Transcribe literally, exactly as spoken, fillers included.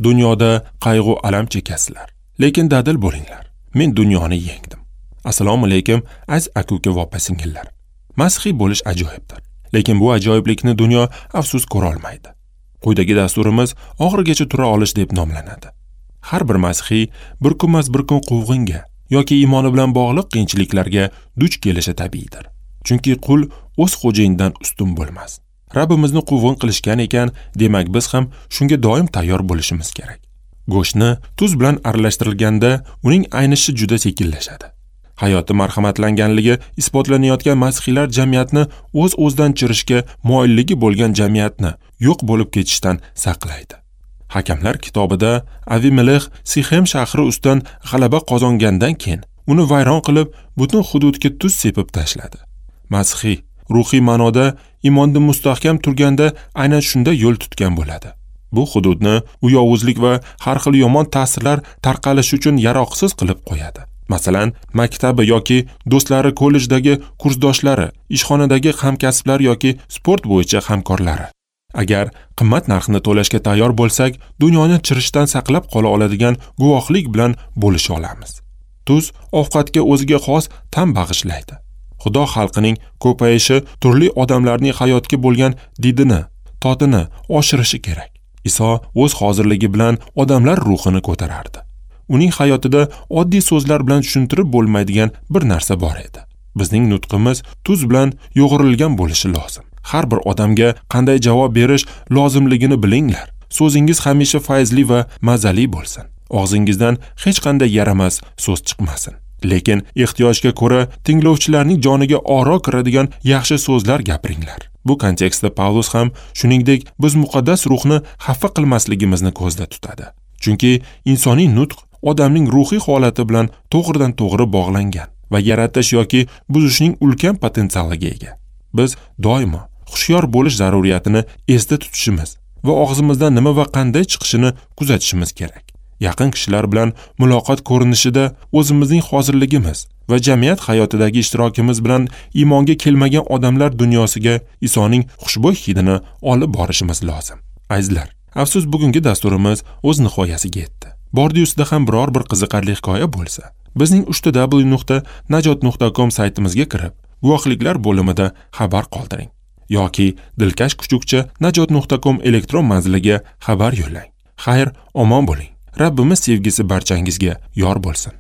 Dunyoda qayg'u alam chekasizlar, lekin dadil bo'linglar. Men dunyoni yengdim. Assalomu alaykum, aziz aka-uka va opa-singillar. Masihiy bo'lish ajoyibdir, lekin bu ajoyiblikni dunyo afsus ko'ra olmaydi. Quyidagi dasturimiz oxirigacha tura olish deb nomlanadi. Har bir masihiy bir kunmas bir kun quvg'inga yoki iymoni bilan bog'liq qiyinchiliklarga duch kelishi tabiiydir. Chunki qul o'z xo'jayinidan ustun bo'lmas. Rabbimizni quvg'in qilishgan ekan, demak biz ham shunga doim tayyor bo'lishimiz kerak. Go'shtni tuz bilan aralashtirilganda uning aynishi juda sekinlashadi. Hayoti marhamatlanganligi isbotlanayotgan masihiylar jamiyatni o'z-o'zidan chirishga moyilligi bo'lgan jamiyatni yo'q bo'lib ketishdan saqlaydi. Hakamlar kitobida Avimelix Sixem shahri ustidan g'alaba qozongandan keyin uni vayron qilib, butun hududga tuz sepib tashladi. Masihiy ruhiy ma'noda iymonda mustahkam turganda aynan shunda yo'l tutgan bo'ladi. Bu hududni u yovuzlik va har xil yomon ta'sirlar tarqalishi uchun yaroqsiz qilib qo'yadi. Masalan, maktabi yoki do'stlari, kollejdagi kursdoshlari, ishxonadagi hamkasblar yoki sport bo'yicha hamkorlari. Agar qimmat narxni to'lashga tayyor bo'lsak, dunyoni chirishdan saqlab qola oladigan guvohlik bilan bo'lisha olamiz. Tuz ovqatga o'ziga xos ta'm bag'ishlaydi. Xudo xalqining ko'payishi turli odamlarning hayotga bo'lgan didini, totini oshirishi kerak. Iso o'z hozirligi bilan odamlar ruhini ko'tarardi. Uning hayotida oddiy so'zlar bilan tushuntirib bo'lmaydigan bir narsa bor edi. Bizning nutqimiz tuz bilan yo'g'rilgan bo'lishi lozim. Har bir odamga qanday javob berish lozimligini bilinglar. So'zingiz hamisha fayzli va mazali bo'lsin. Og'zingizdan hech qanday yaramas so'z chiqmasin. Lekin ehtiyojga ko'ra tinglovchilarning joniga oro kiradigan yaxshi so'zlar gapiringlar. Bu kontekstda Pavlus ham shuningdek biz muqaddas ruhni xafa qilmasligimizni ko'zda tutadi. Chunki insoniy nutq odamning ruhiy holati bilan to'g'ridan to'g'ri bog'langan va yaratish yoki buzishning ulkan potensialiga ega. Biz doimo hushyor bo'lish zaruriyatini esda tutishimiz va og'zimizdan nima va qanday chiqishini kuzatishimiz kerak. Yaqin kishilar bilan muloqot ko'rinishida o'zimizning hozirligimiz va jamiyat hayotidagi ishtirokimiz bilan iymonga kelmagan odamlar dunyosiga Isoning xushbo'y hidini olib borishimiz lozim. Azizlar, afsus bugungi dasturimiz o'z nihoyasiga yetdi. Bordi-yu sizda ham biror bir qiziqarli hikoya bo'lsa, bizning uch ta w nuqta najot nuqta com saytimizga kirib, guvohliklar bo'limida xabar qoldiring yoki dilkash kuchukcha najot nuqta com elektron manziliga xabar yo'llang. Xayr, omon bo'ling. Rabbimiz sevgisi barchangizga yor bo'lsin.